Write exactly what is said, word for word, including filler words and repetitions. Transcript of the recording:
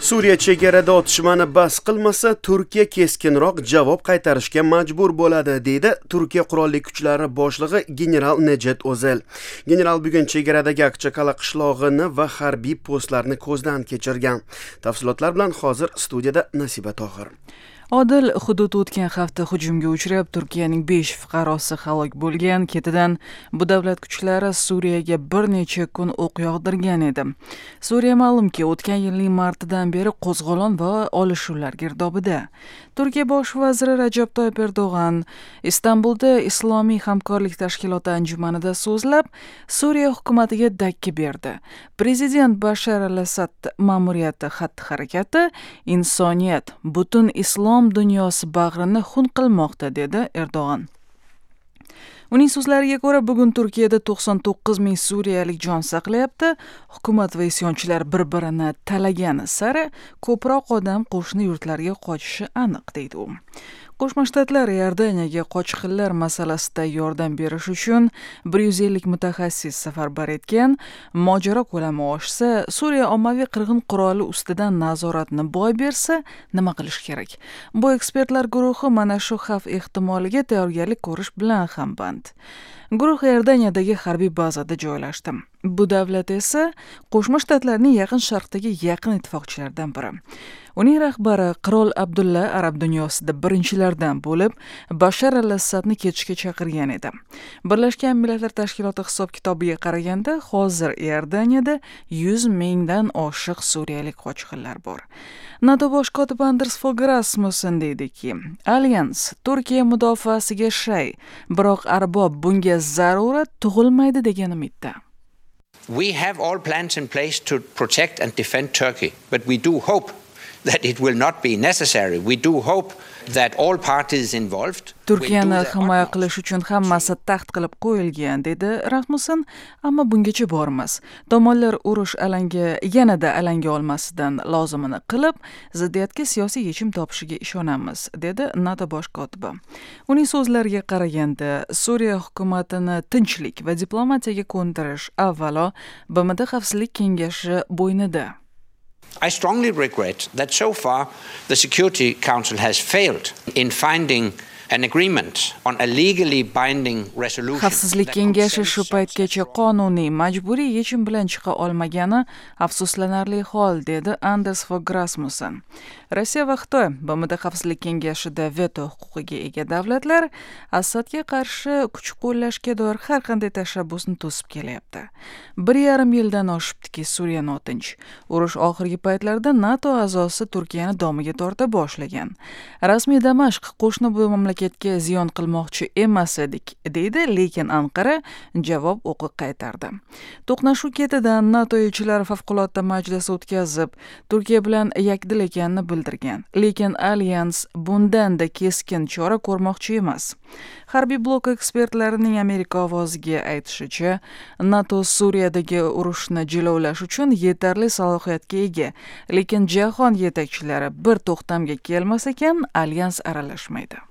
Suriya chegarada otishmani bas qilmasa, Turkiya keskinroq javob qaytarishga majbur bo'ladi, deydi Turkiya qurolli kuchlari boshlig'i general Nejet O'zel. General bugun chegaradagi Akchaqala qishlog'ini va harbiy postlarni ko'zdan kechirgan. Tafsilotlar bilan hozir studiyada Nasiba Tohir. Odil, hudud o'tgan hafta hujumga uchrab, Turkiyaning besh fuqarosi halok bo'lgan. Ketidan bu davlat kuchlari Suriyaga bir necha kun o'q yog'dirgan edi. Suriya ma'lumki, o'tgan yilning martidan beri qo'zg'olon va olishuvlar girdobida. Turkiya bosh vaziri Rajab Toyib Erdo'g'an Istanbulda Islomiy hamkorlik tashkiloti anjumanida so'zlab, Suriya hukumatiga dakki berdi. Prezident Bashar al-Asad ma'muriyati xatti-harakati insoniyat, butun islom dunyosi bag'rini xun qilmoqda, dedi Erdo'g'an. Uning so'zlariga ko'ra, bugun Turkiyada to'qson to'qqiz ming suriyalik jon saqlayapti. Hukumat va isyonchilar bir-birini talagani sari ko'proq odam qo'shni yurtlarga qochishi aniq, deydi u. Qo'shma Shtatlar Iordaniyaga qochqinlar masalasida yordam berish uchun bir yuz ellik mutaxassis safarbar etgan. Mojaro ko'lami oshsa, Suriya ommaviy qirg'in quroli ustidan nazoratni boy bersa, nima qilish kerak? Bu ekspertlar guruhi mana shu xavf ehtimoliga tayyorgarlik ko'rish bilan ham band. Guruh Iordaniyadagi harbiy bazada joylashdi. Bu davlat esa Qo'shma Shtatlarning Yaqin Sharqdagi yaqin ittifoqchilaridan biri. Uning rahbari Qirol Abdulla arab dunyosida birinchilardan bo'lib Bashar al-Assadni ketishga chaqirgan edi. Birlashgan Millatlar Tashkiloti hisob-kitobiga qaraganda, hozir Iordaniyada yuz mingdan oshiq suriyalik qochqinlar bor. NATO bosh kotibi Anders Fogh Rasmussen deydiki, Alyans Turkiya mudofaasiga shay, biroq arbob bunga zarurat tug'ilmaydi degan umidda. We have all plans in place to protect and defend Turkey, but we do hope that it will not be necessary. We do hope that all parties involved Turkiyani himoya qilish uchun hammasi taxt qilib qo'yilgan, dedi Rasmussen, ammo bungacha bormas. Tomonlar urush alanga yanada alanga olmasidan lozimini qilib, ziddiyatga siyosiy yechim topishiga ishonamiz, dedi NATO bosh kotibi. Uning so'zlariga qaraganda, Suriya hukumatini tinchlik va diplomatiyaga ko'ndirish avvalo B M T Xavfsizlik Kengashi bo'ynida. I strongly regret that so far the Security Council has failed in finding an agreement on a legally binding resolution. Xavfsizlik Kengashi shu paytgacha qonuniy majburiy yechim bilan chiqa olmagani afsuslanarli hol, dedi Anders Fogh Rasmussen. Rossiya va Xitoy B M T Xavfsizlik Kengashida veto huquqiga ega davlatlar Assadga qarshi kuch qo'llashga doir har qanday tashabbusni to'sib kelyapti. Bir yarim yildan oshibdiki, Suriya notinch. Urush oxirgi paytlarda NATO a'zosi Turkiyani domiga torta boshlagan. Rasmiy Damashq qo'shni bu mamlakatga ziyon qilmoqchi emas edik, deydi, lekin Anqara javob o'qi qaytardi. To'qnashuv ketidan NATO elchilari favqulodda majlis o'tkazib, Turkiya bilan yakdil ekanini bildirgan. Lekin Alyans bundan-da keskin chora ko'rmoqchi emas. Harbiy blok ekspertlarining Amerika ovoziga aytishicha, NATO Suriyadagi urushni jilovlash uchun yetarli salohiyatga ega, lekin jahon yetakchilari bir to'xtamga kelmas ekan, Alyans aralashmaydi.